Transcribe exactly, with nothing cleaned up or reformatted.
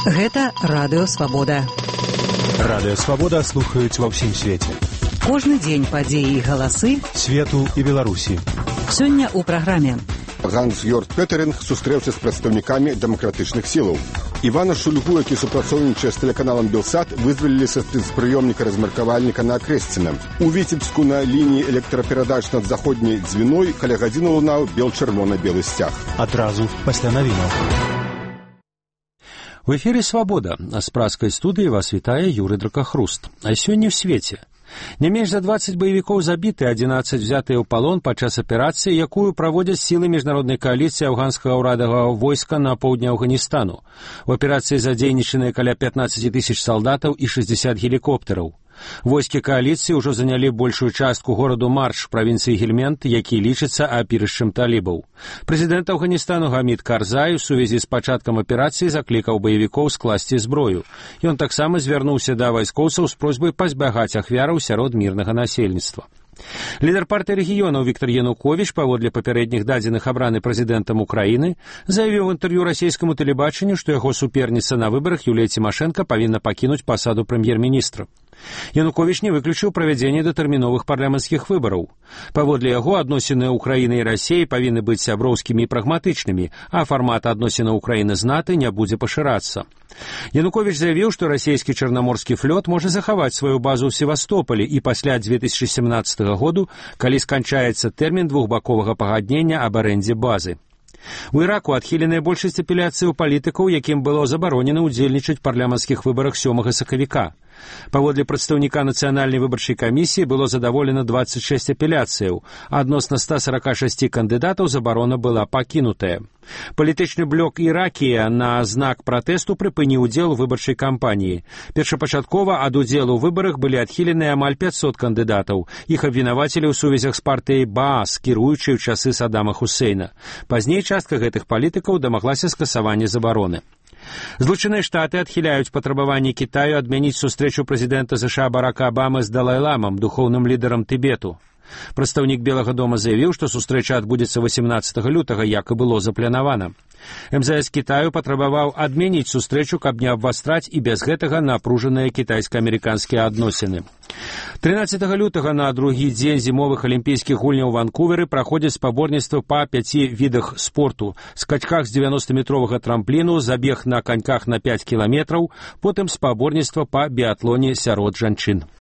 Гэта Радыё Свабода. Радыё Свабода слухаюць ва ўсім свеце. Кожны дзень падзеі і галасы свету і Беларусі. Сёння ў праграме. Ганс-Йорг Петеринг сустрэўся з прадстаўнікамі дэмакратычных сілаў. Івана Шульгу, які супрацоўнічае з тэлеканалам «Белсат», вызвалілі са спецпрыёмніка размеркавальніка на Акрэсціна. У Віцебску на лініі электраперадач над заходняй дзвіной каля гадзіны лунаў бел-чырвона-белы сцяг. Адразу пасля навінаў. В эфире «Свобода». А с праской студии вас вітае Юрий Дракахруст. А сёння ў свеце. Не менш за двадцать баевікоў забіты, одиннадцать взятыя ў палон падчас аперацыі, якую праводзяць сілы міжнароднай кааліцыі афганскага ўрадавага войска на поўдні Афганістanu. У аперацыі задзейнічаныя каля пятнадцать тысяч салдатаў і шестьдесят гелікоптараў. Войскі кааліцыі ўжо занялі большую частку гораду Марш, правінцыі Гельмент, які лічыцца апірышчам талібаў. Прэзідэнт Афганістану Гамід Карзай у сувязі з пачаткам аперацыі заклікаў баевікоў скласці зброю. Ён таксама звярнуўся да вайскоўцаў з просьбай пазбягаць ахвяраў сярод мірнага насельніцтва. Лідар партыі рэгіёнаў Віктор Януковіч, паводле папярэдніх дадзеных абраны прэзідэнтам Украіны, заявіў у інтэрв'ю расійскаму тэлебачанню, што яго суперніца на выбарах Юлія Цімашэнка павінна пакінуць пасаду прэм'ер-міністра. Януковіч не выключыў правядзенне датэрміновых парламенцкіх выбараў. Паводле яго, адносіны Украіны і Расіі павінны быць сяброўскімі і прагматычнымі, а фармат адносінаў Украіны з НАТО не будзе пашырацца. Януковіч заявіў, што расійскі чарнаморскі флот можа захаваць сваю базу ў Севастополі і пасля две тысячи семнадцатага году, калі сканчаецца тэрмін двухбаковага пагаднення аб арэндзе базы. У Іраку адхіленая большасць апеляцыяў палітыкаў, якім было забаронена ўдзельнічаць у парламенцкіх выбарах сёмага сакавіка. Паводле прадстаўніка нацыянальнай выбарчай камісіі было задаволена двадцать шесть апеляцыяў, а адносна ста сорока шести кандыдатаў забарона была пакінутая. Палітычны блок Іракія на знак пратэсту прыпыніў удзел у выбарчай кампаніі. Першапачаткова ад удзелу ў выбарах былі адхіленыя амаль пятьсот кандыдатаў. Іх абвінавацілі ў сувязях з партыяй Баас, кіруючай у часы Саддама Хусейна. Пазней частка гэтых палітыкаў дамаглася скасавання забароны. Злучаныя Штаты адхіляюць патрабаванні Кітаю адмяніць сустрэчу прэзідэнта США Барака Абамы з Далай-ламам, духоўным лідарам Тыбету. Прадстаўнік Белага дома заявіў, што сустрэча адбудзецца восемнадцатага лютага, як і было запланавана. эм зэ эс Кітаю патрабаваў адмяніць сустрэчу, каб не абвастраць і без гэтага напружаныя кітайска-амерыканскія адносіны. трынаццатага лютага на другі дзень зімовых алімпійскіх гульняў у Ванкуверы праходзяць спаборніцтвы па пяці відах спорту: скачках з дзевяноста метровага трампліну, забег на каньках на пять кіламетраў, потым спаборніцтва па біятлоне сярод жанчын.